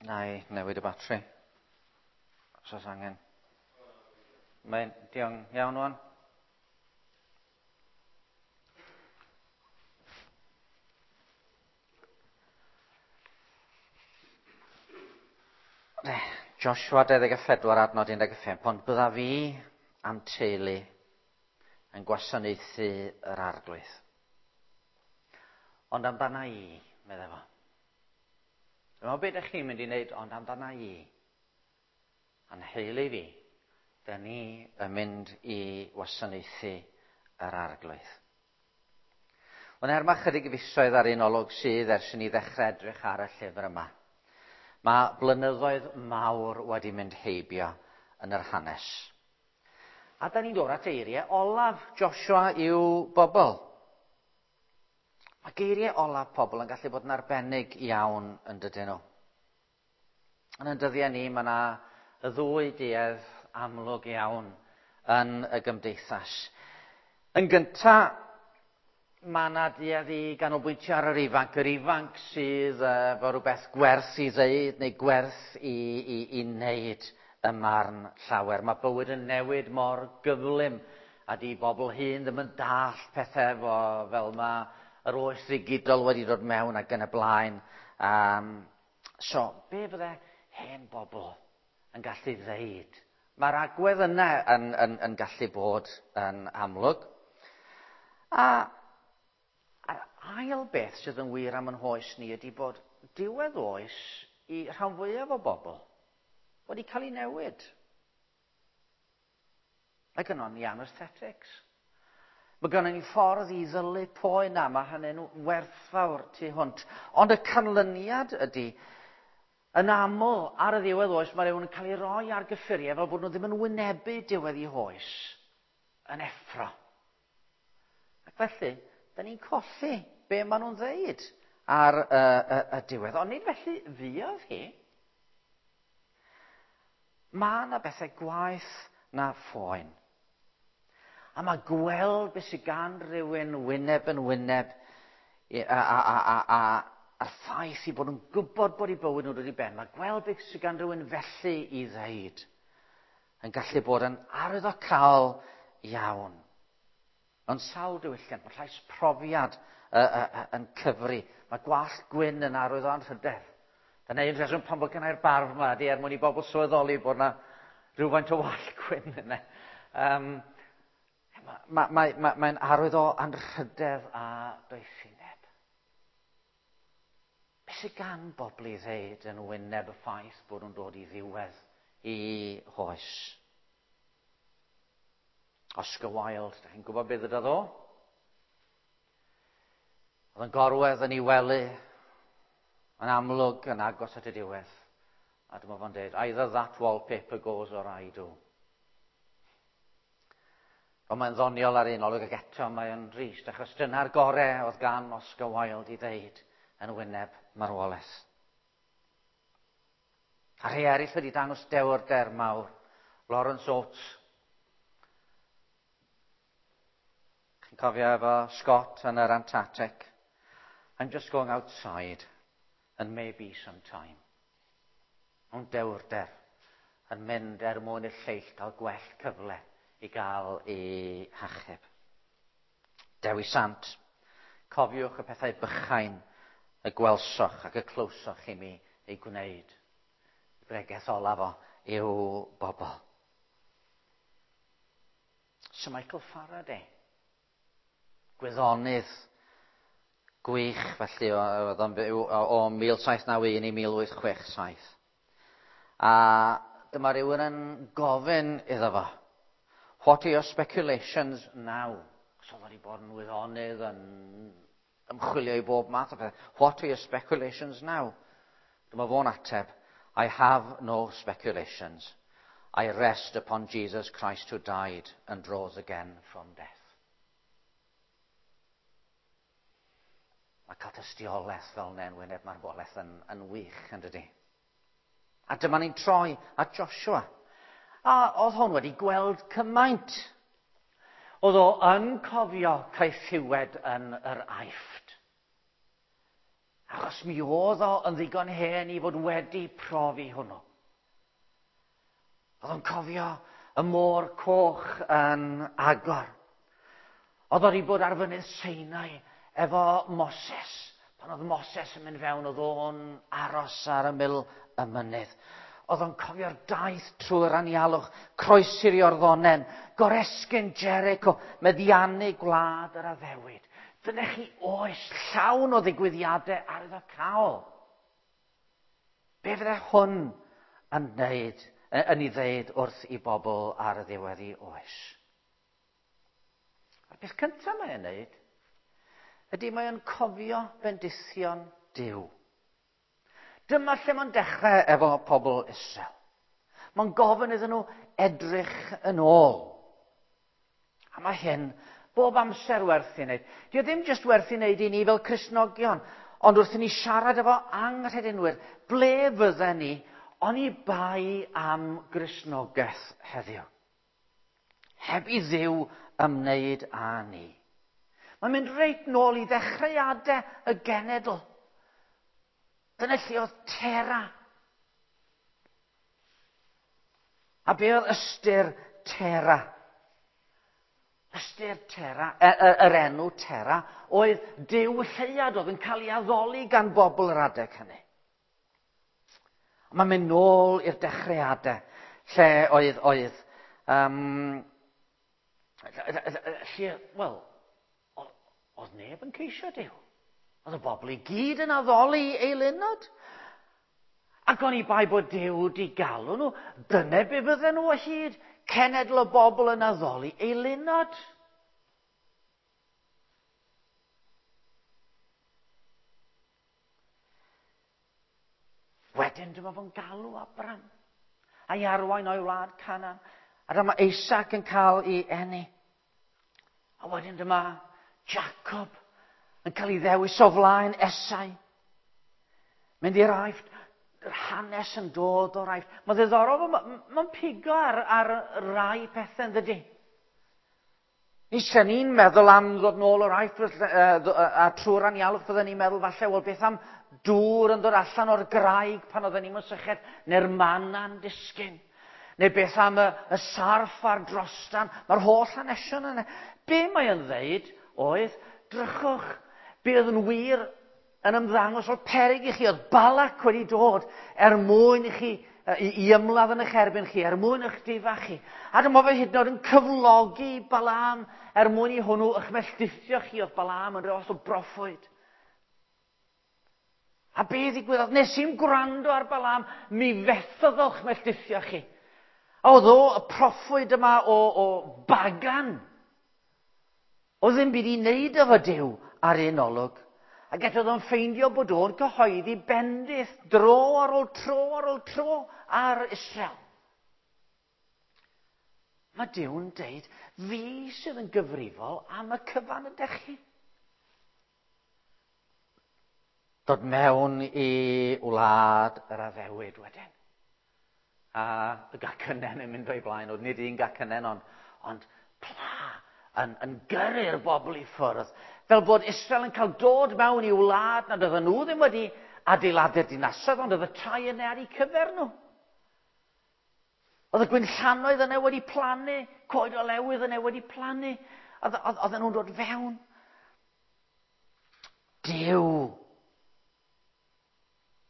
Na i newid y batri. Os oes angen. Mae'n diolch iawn wan. Joshua 24 adnod 15, ond bydda fi am teulu yn gwasanaethu yr arglwydd. Ond amdana i, meddai fo. Dyma beth ydych chi'n mynd i wneud, ond amdana i. A'n heulu fi, da ni yn mynd i wasanaethu yr arglwydd. Ond er mae chydig fisoedd ar un olwg sydd ers i ni ddechrau edrych ar y llyfr yma, mae blynyddoedd mawr wedi mynd heibio yn yr hanes. A da ni'n dod at eiriau olaf Joshua i'w bobl. Mae geiriau olaf pobl yn gallu bod yn arbennig iawn yn dydyn nhw. Yn y dyddiau ni, mae yna y ddwy duedd amlwg iawn yn y gymdeithas. Yn gyntaf, mae yna duedd i ganolbwyntio ar yr ifanc. Yr ifanc sydd efo rhywbeth gwerth i ddeud neu gwerth i, i, i wneud y marn llawer. Mae bywyd yn newid mor gyflym a di bobl hyn ddim yn dall pethau efo fel mae yr oes ddigidol wedi dod mewn ac yn y blaen. Um, so, be fydde hen bobl yn gallu ddeud? Mae'r agwedd yna yn, yn, yn gallu bod yn amlwg. A A'r ail beth sydd yn wir am yn hoes ni ydy bod diwedd oes i rhan fwyaf o bobl wedi cael ei newid. Mae gynnon ni anesthetics. Mae gynnon ni ffordd i ddylu poen a mae hynny'n werthfawr tu hwnt. Ond y canlyniad ydy, yn aml ar y ddiwedd oes, mae rhywun yn cael ei roi ar gyffuriau fel bod nhw ddim yn wynebu diwedd eu hoes yn effro. Ac felly, da ni'n colli be maen nhw'n ddeud ar y, y, y diwedd. Ond nid felly fuodd hi. Mae yna bethau gwaeth na phoen. A mae gweld beth sydd gan rhywun wyneb yn wyneb a, a, a, a, a, a'r ffaith i bod yn gwybod bod eu bywyd nhw'n dod i ben. Mae gweld beth sydd gan rhywun felly i ddeud yn gallu bod yn arwyddocaol iawn. Ond sawl diwylliant, mae llais profiad uh, uh, yn cyfri. Mae gwallt gwyn yn arwydd o anrhydedd. Dyna un rheswm pan bod gennau'r barf yma, ydy er mwyn i bobl sylweddoli bod yna rhywfaint o wallt gwyn yna. Um, Mae'n ma, ma, ma, arwydd o anrhydedd a doethineb. Beth sydd gan bobl i ddeud yn wyneb y ffaith bod nhw'n dod i ddiwedd i hoes? Oscar Wilde, da chi'n gwybod beth ydy o? Oedd yn gorwedd yn ei wely, yn amlwg yn agos at y diwedd. A dyma fo'n dweud, either that wallpaper goes or I do. Ond mae'n ddoniol ar un olwg ac eto mae'n drist, achos dyna'r gorau oedd gan Oscar Wilde i ddeud yn wyneb marwolaeth. A rhai eraill wedi dangos dewrder mawr. Lawrence Oates. Chi'n cofio efo Scott yn yr Antarctic? I'm just going outside and maybe some time. Ond dewrder yn mynd er mwyn i'r lleill gael gwell cyfle i gael ei hachub. Dewi Sant, cofiwch y pethau bychain y gwelsoch ac y clywsoch i mi ei gwneud. Bregeth olaf o i'w bobl. Sir Michael Faraday, gwyddonydd gwych felly oedd o'n byw o 1791 i 1867. A dyma rhywun yn gofyn iddo fo, what are your speculations now? So oedd wedi bod yn wyddonydd yn ymchwilio i bob math o beth. What are your speculations now? Dyma fo'n ateb, I have no speculations. I rest upon Jesus Christ who died and rose again from death. Mae cael tystiolaeth fel yna yn wyneb marwolaeth yn, yn wych, yn dydy? A dyma ni'n troi at Joshua. A oedd hwn wedi gweld cymaint. Oedd o yn cofio caethiwed yn yr Aifft. Achos mi oedd o yn ddigon hen i fod wedi profi hwnnw. Oedd o'n cofio y môr coch yn agor. Oedd o wedi bod ar fynydd Sinai efo Moses. Pan oedd Moses yn mynd fewn, oedd o'n aros ar ymyl y mynydd. Oedd o'n cofio'r daith trwy'r anialwch, croesi'r Iorddonen, goresgyn Jericho, meddiannu gwlad yr addewid. Dyna chi oes llawn o ddigwyddiadau arwyddocaol. Be fydde hwn yn wneud, yn ei ddeud wrth i bobl ar y ddiwedd i oes? A'r peth cyntaf mae'n wneud ydy mae'n cofio bendithion Duw. Dyma lle mae'n dechrau efo pobl Israel. Mae'n gofyn iddyn nhw edrych yn ôl. A mae hyn bob amser werth i wneud. Dio ddim jyst werth i wneud i ni fel Cristnogion, ond wrth i ni siarad efo anghredinwyr, ble fydden ni oni bai am Gristnogaeth heddiw? Heb i Dduw ymwneud â ni. Mae'n mynd reit nôl i ddechreuadau y genedl. Dyna lle oedd Tera. A be oedd ystyr Tera? Ystyr Tera, yr enw Tera, oedd Duw lleuad oedd yn cael ei addoli gan bobl yr adeg hynny. Mae'n mynd nôl i'r dechreuadau, lle oedd, lle, wel, oedd neb yn ceisio Duw. Oedd y bobl i gyd yn addoli eilunod. Ac oni bai bod Duw wedi galw nhw, dyna be fydden nhw o hyd, cenedl o bobl yn addoli eilunod. Wedyn dyma fo'n galw Abram a'i arwain o'i wlad Canaan. A dyma Isaac yn cael ei eni. A wedyn dyma Jacob yn cael ei ddewis o flaen Esau. Mynd i'r Aifft, yr hanes yn dod o'r Aifft. Mae'n ddiddorol, mae'n pigo ar rai pethau, yn dydi? Ni sy'n ni'n meddwl am ddod nôl o'r Aifft a trwy'r anialwch, fydden ni'n meddwl falle, wel beth am dŵr yn dod allan o'r graig pan oedden ni'n syched, neu'r manna'n disgyn. Neu beth am y sarff a'r drostan, mae'r holl hanesion yna. Be mae yn ddeud oedd, drychwch, be oedd yn wir yn ymddangos o'r peryg i chi, oedd Balak wedi dod er mwyn i chi, i ymladd yn eich erbyn chi, er mwyn eich difa chi. A dyma fe hyd yn oed yn cyflogi Balaam er mwyn i hwnnw eich melltithio chi, oedd Balaam yn rhyw fath o broffwyd. A be ddigwyddodd? Nes i'm gwrando ar Balaam, mi fethodd o'ch melltithio chi. A oedd o, y proffwyd yma o bagan, oedd ddim byd i wneud efo Duw ar un olwg. Ac eto oedd o'n ffeindio bod o'n cyhoeddi bendith dro ar ôl tro ar ôl tro ar Israel. Mae Duw'n deud, fi sydd yn gyfrifol am y cyfan ydych chi. Dod mewn i wlad yr addewid wedyn. A y gacynen yn mynd o'i blaen, oedd nid un gacynen, ond pla yn gyrru'r bobl i ffwrdd. Fel bod Israel yn cael dod mewn i wlad nad oedden nhw ddim wedi adeiladu'r dinasoedd, ond oedd y tai yna ar eu cyfer nhw. Oedd y gwinllannoedd yna wedi plannu, coed olewydd yna wedi plannu. Oedden nhw'n dod fewn. Duw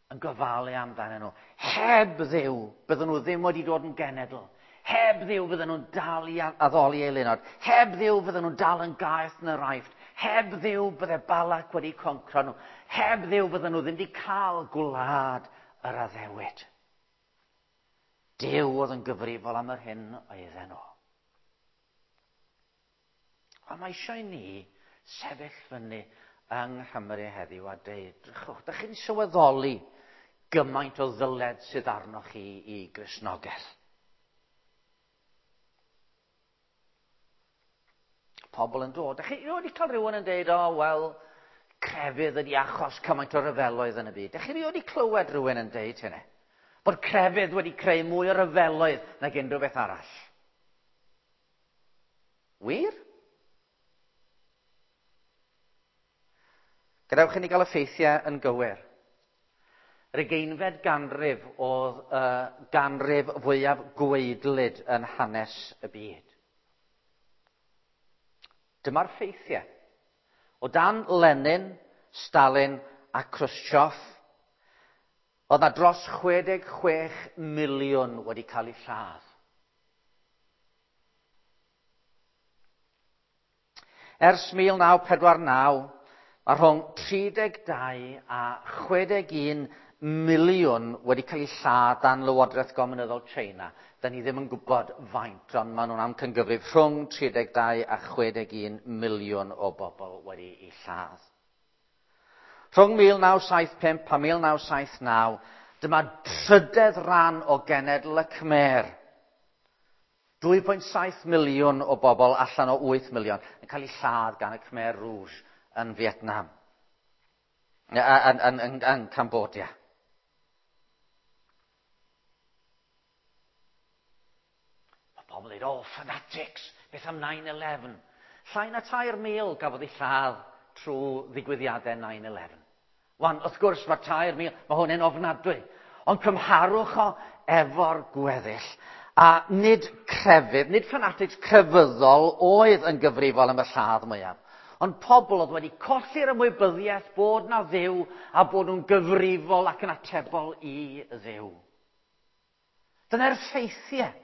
yn gofalu amdanyn nhw. Heb Dduw, bydden nhw ddim wedi dod yn genedl. Heb Dduw fydden nhw'n dal i addoli eilunod. Heb Dduw fydden nhw'n dal yn gaeth yn yr Aifft. Heb Dduw bydde Balak wedi concro nhw. Heb Dduw fydden nhw ddim wedi cael gwlad yr addewid. Duw oedd yn gyfrifol am yr hyn oedden nhw. A mae eisiau ni sefyll fyny yng Nghymru heddiw a deud, drychwch, dych chi'n sylweddoli gymaint o ddyled sydd arnoch chi i Gristnogaeth. Pobl yn dod. Dych chi wedi cael rhywun yn deud, o, wel, crefydd ydi achos cymaint o ryfeloedd yn y byd. Dych chi wedi clywed rhywun yn deud hynny? Bod crefydd wedi creu mwy o ryfeloedd nag unrhyw beth arall. Wir? Gadewch i ni gael y ffeithiau yn gywir. Yr ugeinfed ganrif oedd y ganrif fwyaf gwaedlyd yn hanes y byd. Dyma'r ffeithiau. O dan Lenin, Stalin a Khrushchev, oedd na dros 66 miliwn wedi cael eu lladd. Ers 1949, mae rhwng 32 a 61 miliwn wedi cael eu lladd dan Lywodraeth Gominyddol China. Da ni ddim yn gwybod faint, ond maen nhw'n amcangyfrif rhwng 32 a 61 miliwn o bobl wedi eu lladd. Rhwng 1975 a 1979, dyma trydedd ran o genedl y Khmer. 2.7 miliwn o bobl allan o 8 miliwn yn cael eu lladd gan y Khmer Rouge yn Vietnam, yn Cambodia. Mae pobl yn dweud, oh, fanatics, beth am 9-11? Llai na 3,000 gafodd eu lladd trwy ddigwyddiadau 9-11. Wan, wrth gwrs, mae 3,000, mae hwn yn ofnadwy. Ond cymharwch o efo'r gweddill. A nid crefydd, nid fanatics crefyddol oedd yn gyfrifol am y lladd mwyaf. Ond pobl oedd wedi colli'r ymwybyddiaeth bod na Dduw a bod nhw'n gyfrifol ac yn atebol i Dduw. Dyna'r ffeithiau.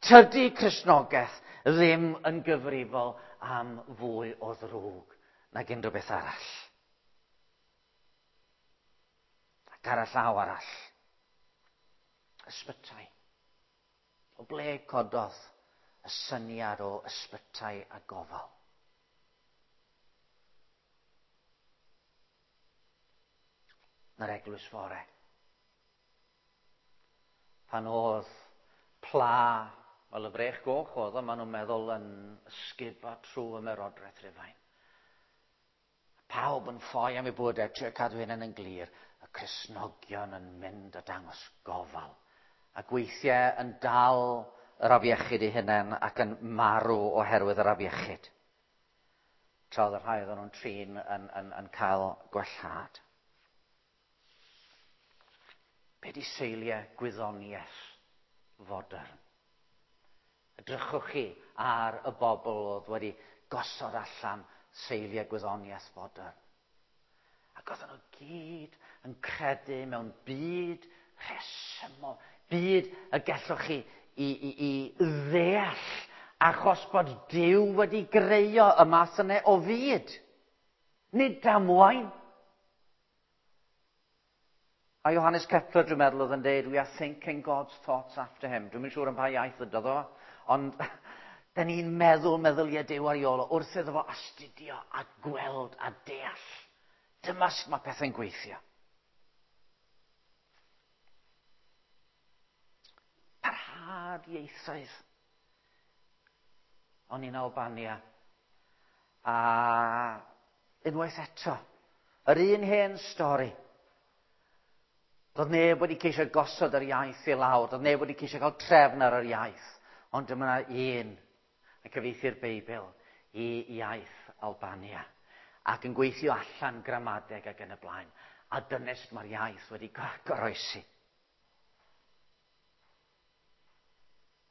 Tydi Cristnogaeth ddim yn gyfrifol am fwy o ddrwg nag unrhyw beth arall. Ac ar y llaw arall, ysbytai. O ble cododd y syniad o ysbytai a gofal? Na'r eglwys fore. Pan oedd pla, wel y frech goch oedd o, maen nhw'n meddwl yn ysgubo trwy ymerodraeth Rhufain. Pawb yn ffoi am eu bywydau, trio cadw hynny'n yn glir. Y Cristnogion yn mynd a dangos gofal. Ac weithiau yn dal yr afiechyd eu hunain ac yn marw oherwydd yr afiechyd. Tra oedd y rhai oedden nhw'n trin yn cael gwellhad. Be di seiliau gwyddoniaeth fodern? Edrychwch chi ar y bobl oedd wedi gosod allan seiliau gwyddoniaeth fodern. Ac oedden nhw gyd yn credu mewn byd rhesymol, byd y gallwch chi i ddeall achos bod Duw wedi greio y math yna o fyd. Nid damwain. A Johannes Kepler, dwi'n meddwl, oedd yn dweud, we are thinking God's thoughts after him. Dwi'm yn siŵr yn pa iaith ydodd o, ond da ni'n meddwl meddyliau Duw ar ei ôl o wrth iddo fo astudio a gweld a deall. Dyma sut mae pethau'n gweithio. Parhad ieithoedd. O'n i'n Albania. A unwaith eto, yr un hen stori. Doedd neb wedi ceisio gosod yr iaith i lawr, doedd neb wedi ceisio cael trefn ar yr iaith. Ond dyma yna un yn cyfieithu'r Beibl i iaith Albania ac yn gweithio allan gramadeg ac yn y blaen. A dyna sut mae'r iaith wedi goroesi.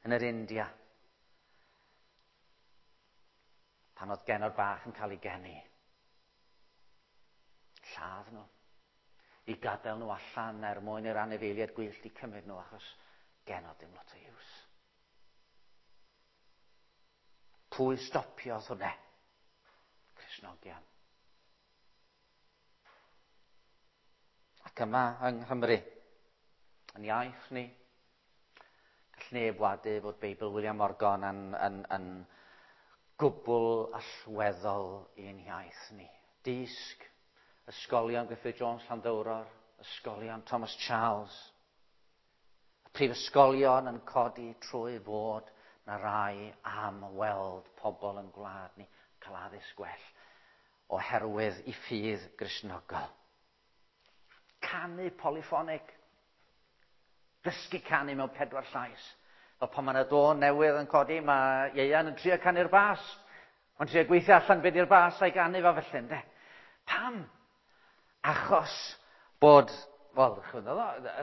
Yn yr India, pan oedd genod bach yn cael ei geni, lladd nhw, i gadael nhw allan er mwyn i'r anifeiliaid gwyllt i cymryd nhw, achos genod ddim lot o iws. Pwy stopiodd hwnna? Cristnogion. Ac yma yng Nghymru, yn iaith ni, gall neb wadu fod Beibl William Morgan yn gwbl allweddol i'n iaith ni. Dysg, ysgolion Griffith Jones Llanddowror, ysgolion Thomas Charles, y prifysgolion yn codi trwy fod na rai am weld pobl yn gwlad ni cael addysg gwell oherwydd i ffydd Gristnogol. Canu polyffonig. Dysgu canu mewn 4 llais. Fel pan mae yna dôn newydd yn codi, mae Ieuan yn trio canu'r bas. Mae'n trio gweithio allan beth yw'r bas a'i ganu fo felly, ynde? Pam? Achos bod, wel,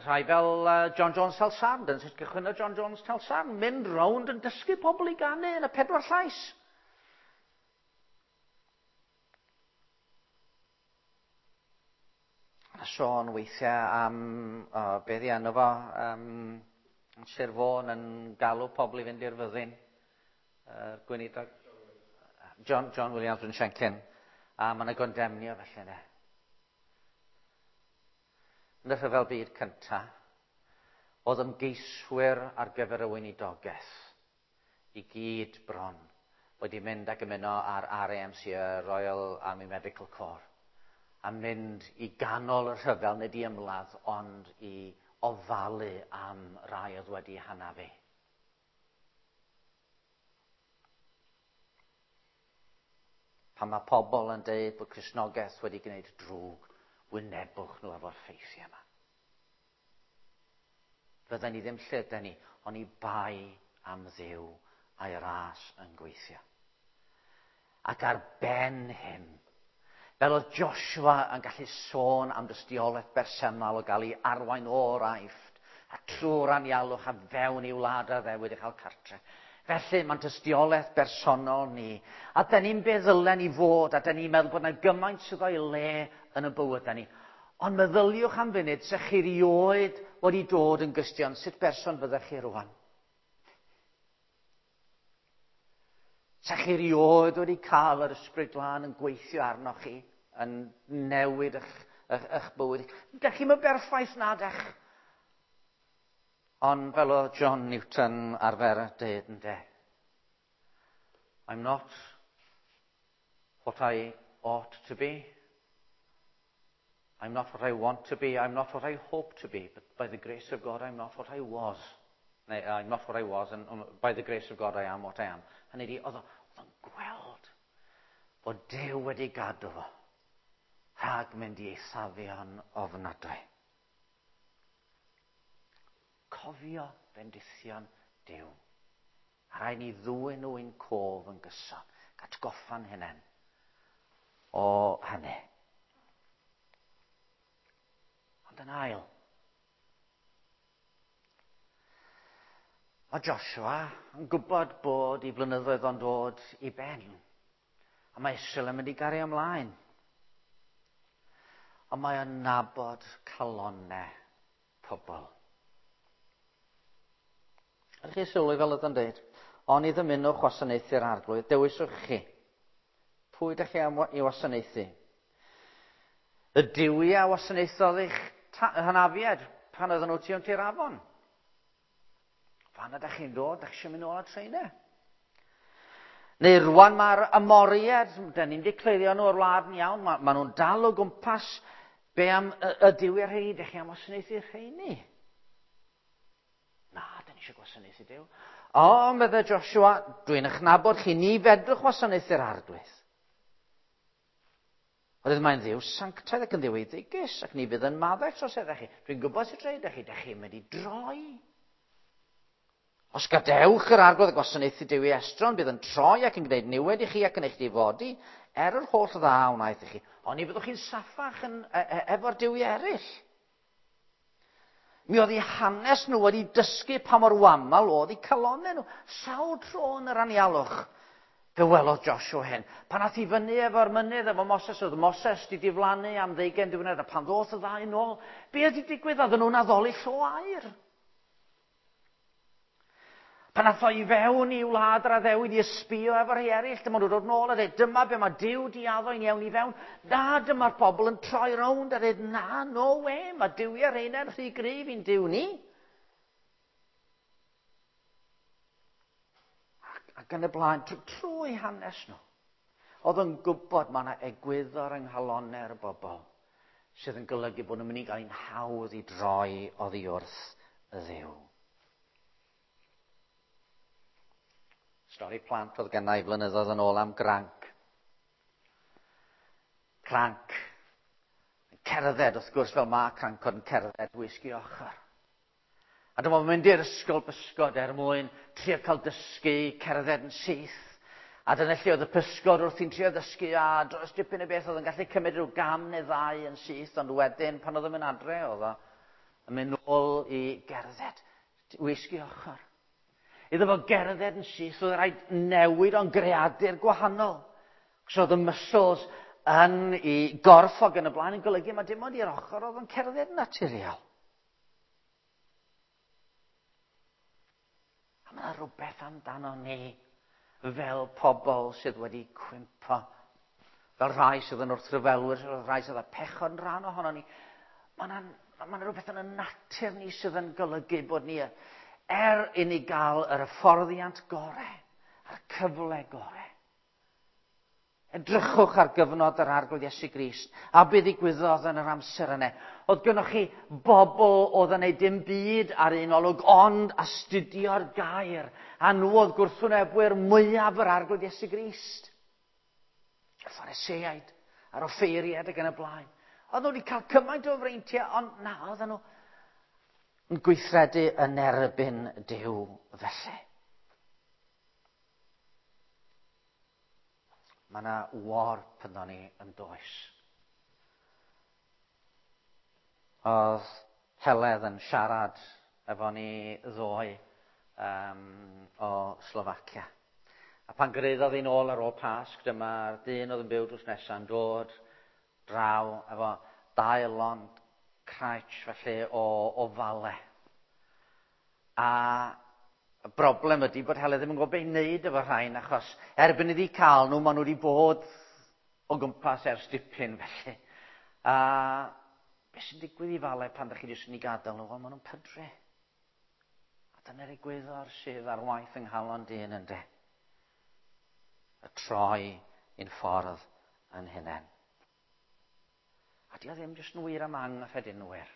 rhai fel John Jones Talsarn, dyna sut gychwynnodd John Jones Talsarn, mynd rownd yn dysgu pobl i ganu yn y 4 llais. A sôn weithiau am, be ddi enw fo, Sir Fôn yn galw pobl i fynd i'r fyddin. Gweinidog John Williams yn Siencyn. A mae yna gondemnio felly yna. Yn y rhyfel byd cyntaf, oedd ymgeiswyr ar gyfer y weinidogaeth i gyd bron wedi mynd ac ymuno ar RAMC, y Royal Army Medical Corps, a mynd i ganol y rhyfel, nid i ymladd, ond i ofalu am rai oedd wedi hanafu. Pan mae pobl yn dweud bod Cristnogaeth wedi gwneud drwg, wynebwch nhw efo'r ffeithiau yma. Fydden ni ddim lle dyn ni, ond i bai am Dduw a'i ras yn gweithio. Ac ar ben hyn, fel oedd Joshua yn gallu sôn am dystiolaeth bersonol o gael ei arwain o'r Aifft a trwy'r anialwch a fewn i'w wlad addewid i chael cartre. Felly mae'n tystiolaeth bersonol ni. A dyn ni'n be ddylen ni fod, a dyn ni'n meddwl bod yna gymaint sydd o'i le yn y bywydau ni. Ond meddyliwch am funud, se chi rioed wedi dod yn Gristion, sut berson fyddech chi rwan? Se chi rioed wedi cael yr Ysbryd Glân yn gweithio arnoch chi, yn newid eich bywyd. Dych chi'm yn berffaith na dych. Ond fel oedd John Newton arfer dweud ynde, I'm not what I ought to be. I'm not what I want to be. I'm not what I hope to be. But by the grace of God, I'm not what I was. Neu, I'm not what I was, and by the grace of God, I am what I am. Hynny ydi, oedd o'n gweld bod Duw wedi gadw fo rhag mynd i eithafion ofnadwy. Cofio bendithion Duw. A rhaid ni ddwyn nhw i'n cof yn gyson. Atgoffa'n hunain o hynny. Ond yn ail, mae Joshua yn gwybod bod ei flynyddoedd o'n dod i ben. A mae Israel yn mynd i gario ymlaen. Ond mae o'n nabod calonnau pobl. Ydych chi sylwi fel oedd o'n dweud? Oni ddymunwch wasanaethu'r Arglwydd, dewiswch chi. Pwy ydych chi am i wasanaethu? Y duwiau a wasanaethodd eich hynafiaid pan oedden nhw tu hwnt i'r afon. Fan ydych chi'n dod, ydych chi eisiau mynd nôl at rheina? Neu rwan mae'r Amoriaid, dyn ni'n decleirio nhw o'r wlad yn iawn, ma nhw'n dal o gwmpas. Be am y duwiau rheini? Ydych chi am wasanaethu rheini? Na, dyn ni eisiau gwasanaethu Duw. O, meddai Joshua, dwi'n eich nabod chi, ni fedrwch wasanaethu'r Arglwydd. Oherwydd mae'n Dduw sanctaidd ac yn Dduw eiddigus, ac ni fydd yn maddau troseddau chi. Dwi'n gwybod sut rhaid chi, dych chi'n mynd i droi. Os gadewch yr Arglwydd a gwasanaethu Duw i estron, bydd yn troi ac yn gwneud niwed i chi ac yn eich difodi, er yr holl dda wnaeth i chi. Ond ni fyddwch chi'n saffach efo'r duwiau eraill. Mi oedd eu hanes nhw wedi dysgu pa mor wamal oedd eu calonnau nhw. Sawl tro yn yr anialwch. Fe welodd Joshua hyn. Pan ath i fyny efo'r mynydd efo Moses, oedd Moses wedi diflannu am 20 diwrnod, a pan ddoth y ddau nôl, be oedd wedi digwydd? Oedden nhw'n addoli llo aur. Pan ath o i fewn i wlad yr addewid i ysbio efo rhai eraill, dyma nhw'n dod nôl a dweud, dyma be mae Duw di addo i ni ewn i fewn. Na, dyma'r bobl yn troi rownd a dweud, na, no way, mae duwiau rheina'n rhy gryf i'n Duw ni. Ac yn y blaen, trwy hanes nhw, oedd yn gwybod mae yna egwyddor yng nghalonnau'r bobl sydd yn golygu bod nhw'n mynd i gael ein hawdd i droi oddi wrth y Dduw. Stori plant oedd gennau flynyddoedd yn ôl am granc. Cranc. Yn cerdded, wrth gwrs, fel mae crancod yn cerdded wisg i ochr. A dyma fo'n mynd i'r ysgol bysgod er mwyn trio cael dysgu cerdded yn syth. A dyna lle oedd y pysgod wrthi'n trio ddysgu a dros dipyn o beth oedd yn gallu cymryd rhyw gam neu ddau yn syth, ond wedyn pan oedd yn mynd adre oedd o yn mynd nôl i gerdded, wisgi ochr. Iddo fo gerdded yn syth, oedd rhaid newid o'n greadur gwahanol. So oedd y muscles yn i gorff ac yn y blaen yn golygu mae dim ond i'r ochr oedd yn cerdded yn naturiol. A mae yna rhywbeth amdano ni fel pobl sydd wedi cwympo, fel rhai sydd yn wrthryfelwyr, fel rhai sydd â pechod yn rhan ohono ni. Mae yna ma rhywbeth yn y natur ni sydd yn golygu bod ni, er i ni gael yr hyfforddiant gore, a'r cyfle gore, Edrychwch ar gyfnod yr Arglwydd Iesu Grist, a be ddigwyddodd yn yr amser yna. Oedd gynnoch chi bobl oedd yn neud dim byd ar un olwg, ond astudio'r gair, a nhw oedd gwrthwynebwyr mwyaf yr Arglwydd Iesu Grist. Y Phariseaid, a'r offeiriaid ac yn y blaen. Oedd nhw wedi cael cymaint o freintiau, ond na, oedden nhw yn gweithredu yn erbyn Duw felly. Mae yna warp ynddo ni yn does. Oedd Heledd yn siarad efo ni ddoe o Slofacia. A pan gyrhaeddodd hi'n ôl ar ôl Pasg, dyma'r dyn oedd yn byw drws nesaf yn dod draw efo dau lond craich felly o ofale. A y broblem ydy bod Heledd ddim yn gwybod beth i wneud efo rhain, achos erbyn iddi cael nhw, maen nhw wedi bod o gwmpas ers dipyn felly. A beth sy'n digwydd i fale pan ydych chi jyst yn ei gadael nhw? Wel, maen nhw'n pydru. A dyna'r egwyddor sydd ar waith yng nghalon dyn ynde. Y troi i'n ffordd yn hunain. A di o ddim jyst yn wir am anghredinwyr.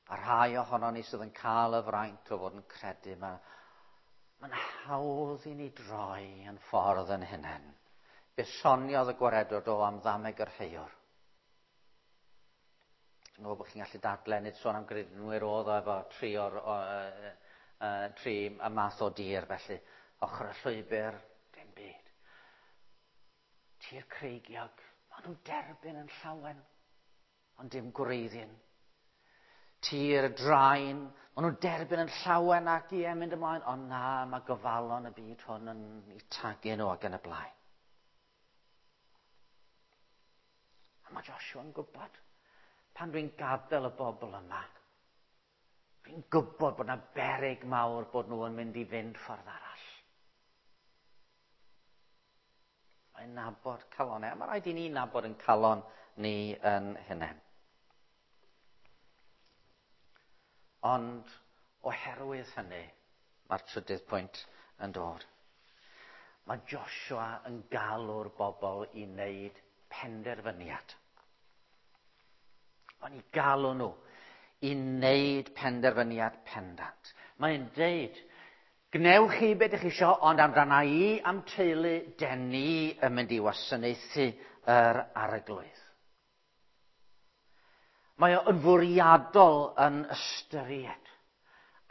A rhai ohonon ni sydd yn cael y fraint o fod yn credu, mae'n hawdd i ni droi yn ffordd yn hunain. Fe soniodd y gwaredwr o am ddameg yr heiwr. Dwi'n meddwl bod chi'n gallu dadle, nid sôn am gredinwyr oedd o efo tri o'r, o, tri y math o dir, felly ochr y llwybr, dim byd. Tir creigiog, maen nhw'n derbyn yn llawen, ond dim gwreiddyn. Tir draen, maen nhw'n derbyn yn llawen ac ie, mynd ymlaen, ond na, mae gofalon y byd hwn yn eu tagu nhw ac yn y blaen. A mae Joshua yn gwybod, pan dwi'n gadael y bobl yma, dwi'n gwybod bod yna beryg mawr bod nhw yn mynd i fynd ffordd arall. Mae'n nabod calonau, a mae rhaid i ni nabod yn calon ni yn hunain. Ond oherwydd hynny, mae'r trydydd pwynt yn dod. Mae Joshua yn galw'r bobl i wneud penderfyniad. Mae'n eu galw nhw i wneud penderfyniad pendant. Mae'n deud, gnewch chi beth ydych chi isio, ond amdana i am teulu, den ni yn mynd i wasanaethu yr Arglwydd. Mae o yn fwriadol yn ystyried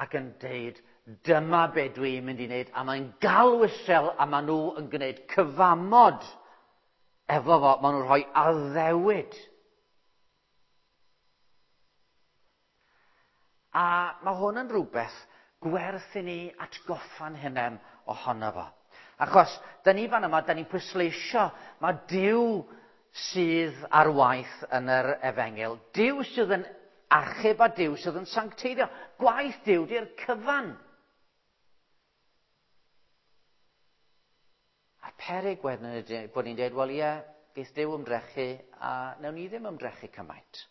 ac yn deud, dyma be dwi'n mynd i wneud, a mae'n galw Israel, a maen nhw yn gwneud cyfamod efo fo, maen nhw'n rhoi addewid. A mae hwn yn rhywbeth gwerth i ni atgoffa'n hunain ohono fo. Achos, da ni fan yma, da ni'n pwysleisio, mae Duw sydd ar waith yn yr efengyl. Duw sydd yn achub a Duw sydd yn sancteiddio. Gwaith Duw di'r cyfan. A'r peryg wedyn ydy bod ni'n dweud, wel ie, geith Duw ymdrechu a wnawn ni ddim ymdrechu cymaint.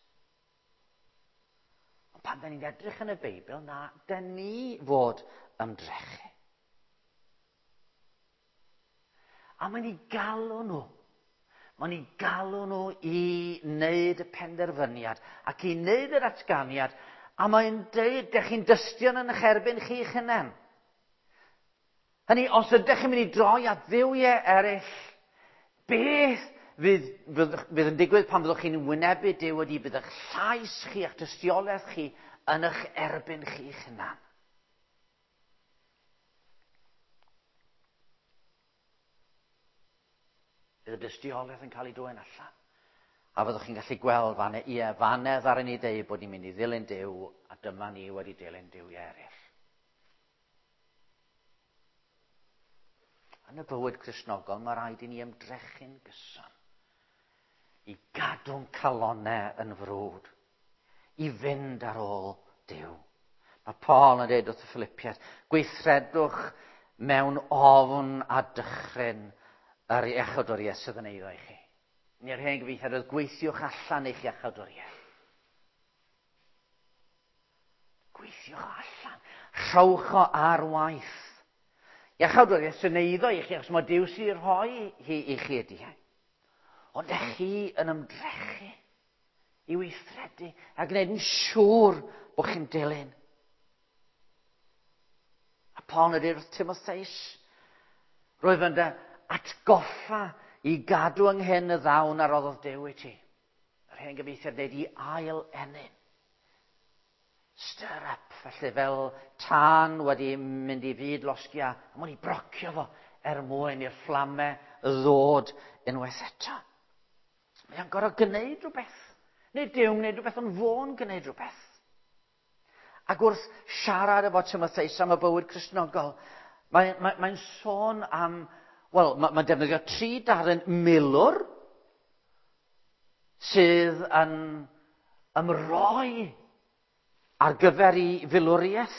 Ond pan da ni'n edrych yn y Beibl, na, da ni fod ymdrechu. A mae'n eu galw nhw. Mae'n eu galw nhw i wneud y penderfyniad ac i wneud yr atganiad, a mae'n deud, dych chi'n dystion yn eich erbyn chi'ch hunain. Hynny, os ydych chi'n mynd i droi at dduwiau eraill, beth fydd yn digwydd pan fyddwch chi'n wynebu Duw ydy bydd eich llais chi a'ch tystiolaeth chi yn eich erbyn chi'ch hunan. Bydd y dystiolaeth yn cael ei dwyn allan. A fyddwch chi'n gallu gweld fanne, ie, fanne ddaru ni ddeud bod ni'n mynd i ddilyn Duw, a dyma ni wedi dilyn duwiau eraill. Yn y bywyd Cristnogol, mae rhaid i ni ymdrechu'n gyson i gadw'n calonnau yn frwd, i fynd ar ôl Duw. Mae Paul yn dweud wrth y Philippiaid, gweithredwch mewn ofn a dychryn yr iachawdwriaeth sydd yn eiddo i chi. Neu'r hen gyfieithiad oedd gweithiwch allan eich iachawdwriaeth. Gweithiwch allan. Rhowch o ar waith. Iachawdwriaeth sy'n eiddo i chi, achos mae Duw sy'n rhoi hi i chi ydy e. Ond ych chi yn ymdrechu i weithredu a gwneud yn siŵr bod chi'n dilyn. A Paul yn dweud wrth Timotheus, roedd yn dy atgoffa i gadw ynghyn y ddawn a roddodd Duw i ti. Yr hen gyfieithiad dweud i ail ennyn. Stir up, felly fel tân wedi mynd i fyd losgi a mwyn i brocio fo er mwyn i'r fflamau ddod unwaith eto. Mae o'n gorfod gwneud rhywbeth. Nid Duw'n gwneud rhywbeth, ond fo'n gwneud rhywbeth. Ac wrth siarad efo Timotheus am y bywyd Cristnogol, mae'n mae, mae sôn am, wel, mae'n mae defnyddio tri darn milwr sydd yn ymroi ar gyfer ei filwriaeth,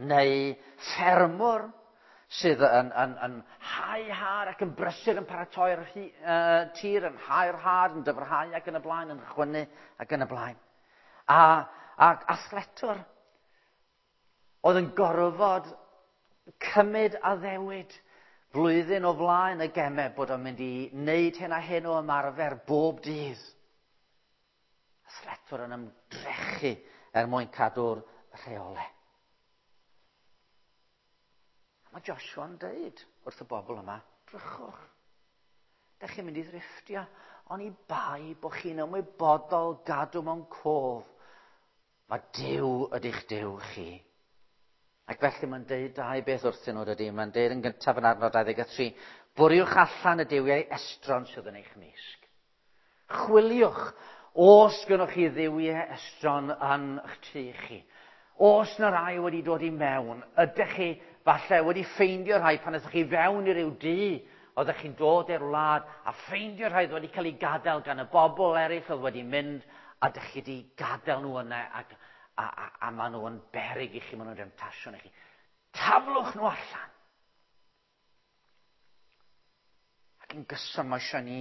neu ffermwr sydd yn, yn, yn hau had ac yn brysur yn paratoi'r tir, yn hau'r had, yn dyfrhau ac yn y blaen, yn chwynnu ac yn y blaen. A, ac athletwr oedd yn gorfod cymryd addewid flwyddyn o flaen y gemau bod o'n mynd i wneud hyn a hyn o ymarfer bob dydd. Athletwr yn ymdrechu er mwyn cadw'r rheolau. A mae Joshua'n dweud wrth y bobl yma, drychwch, dych chi'n mynd i ddrifftio, oni bai bod chi'n ymwybodol gadw mewn cof. Mae Duw ydy'ch Duw chi. Ac felly mae'n deud dau beth wrthyn nhw, dydy. Mae'n deud yn gyntaf yn adnod 23, bwriwch allan y duwiau estron sydd yn eich mysg. Chwiliwch, os gynnwch chi dduwiau estron yn eich tŷ chi. Os na rai wedi dod i mewn, ydych chi falle wedi ffeindio rhai pan ydych chi fewn i ryw dŷ, oeddech chi'n dod i'r wlad a ffeindio rhai oedd wedi cael ei gadael gan y bobl eraill oedd wedi mynd, a ydych chi wedi gadael nhw yna ac, a, a, a maen nhw yn beryg i chi, maen nhw'n demtasiwn i chi. Taflwch nhw allan. Ac yn gyson mae eisiau ni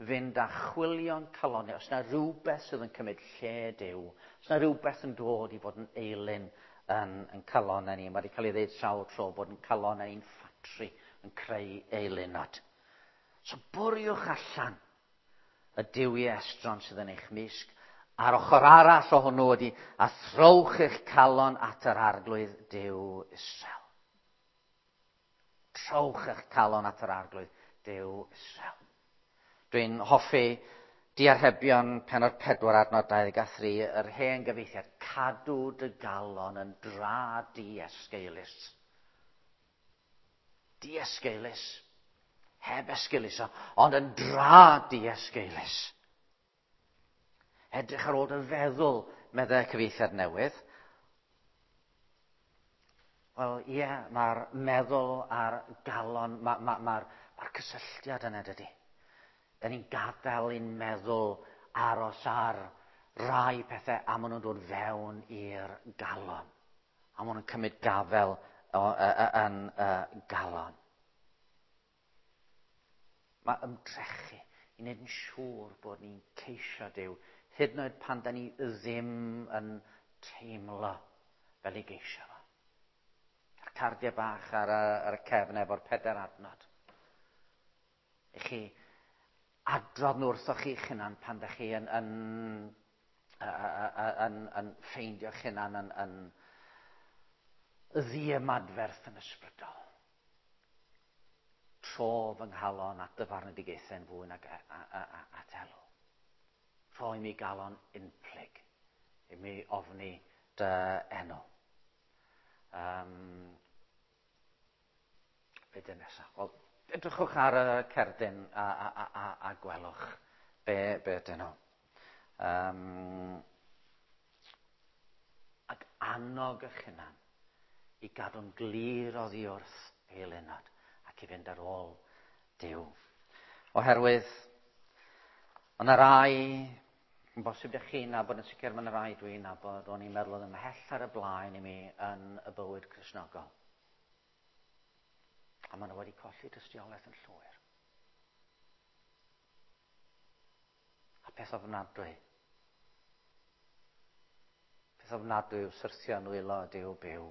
fynd a chwilio'n calonnau. Os yna rhywbeth sydd yn cymryd lle Duw, os yna rhywbeth yn dod i fod yn eilun yn, yn calonnau ni, mae wedi cael ei ddeud sawl tro bod yn calonnau ni'n ffatri yn creu eilunod. So bwriwch allan y duwiau estron sydd yn eich mysg, a'r ochr arall o hwnnw ydy, a throwch eich calon at yr Arglwydd Duw Israel. Trowch eich calon at yr Arglwydd Duw Israel. Dwi'n hoffi diarhebion pennod 4 adnod 23, yr hen gyfieithiad, cadw dy galon yn dra diesgeulus. Diesgeulus. Heb esgeuluso, ond yn dra diesgeulus. Edrych ar ôl dy feddwl, meddai cyfieithiad newydd. Wel, ie, yeah, mae'r meddwl a'r galon, mae'r ma, ma, ma, ma cysylltiad yna, dydy. Da ni'n gadael i'n meddwl aros ar rai pethau a maen nhw'n dod fewn i'r galon. A maen nhw'n cymryd gafel yn y galon. Mae ymdrechu i wneud yn siŵr bod ni'n ceisio Duw, hyd yn oed pan da ni ddim yn teimlo fel ei geisio fo. A'r cardiau bach ar y, ar y cefn efo'r pedair adnod. I chi adrodd nhw wrthoch chi'ch hunan pan da chi yn, yn, yn, yn, ffeindio'ch hunan yn, yn ddiymadferth yn ysbrydol. Tro fy nghalon at dy farnedigaethau'n fwy nag at elw. Rhoi mi galon unplyg i mi ofni dy enw. Um, be dyn nesaf? Wel, Edrychwch ar y cerdyn a gwelwch be ydyn nhw. Ac annog eich hunan i gadw'n glir oddi wrth eilunod ac i fynd ar ôl Duw. Oherwydd, mae yna rai, yn bosib ydych chi'n nabod, yn sicr mae yna rai dwi'n nabod, o'n i'n meddwl oedd ymhell ar y blaen i mi yn y bywyd Cristnogol. A maen nhw wedi colli tystiolaeth yn llwyr. A peth ofnadwy. Peth ofnadwy yw syrthio yn nwylo Duw byw,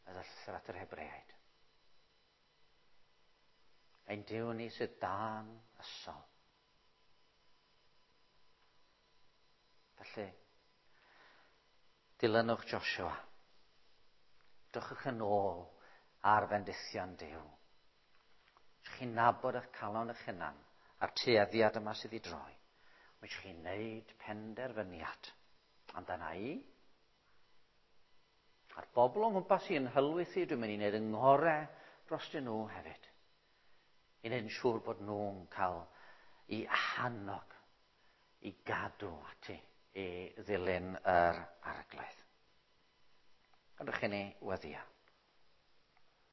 meddai llythyr at yr Hebreaid. Ein Duw ni sydd dan ysol. Felly, dilynwch Joshua. Drychwch yn ôl ar fendithion Duw. Ydych chi'n nabod eich calon eich hunan a'r tueddiad yma sydd i droi. Mae chi'n neud penderfyniad amdana i. A'r bobl o'n nghwmpas i yn hylwyth i, dwi'n mynd i wneud yng ngorau drostyn nhw hefyd. I wneud yn siŵr bod nhw'n cael i hannog, i gadw ati, i ddilyn yr Arglwydd. Gadewch i ni weddïo.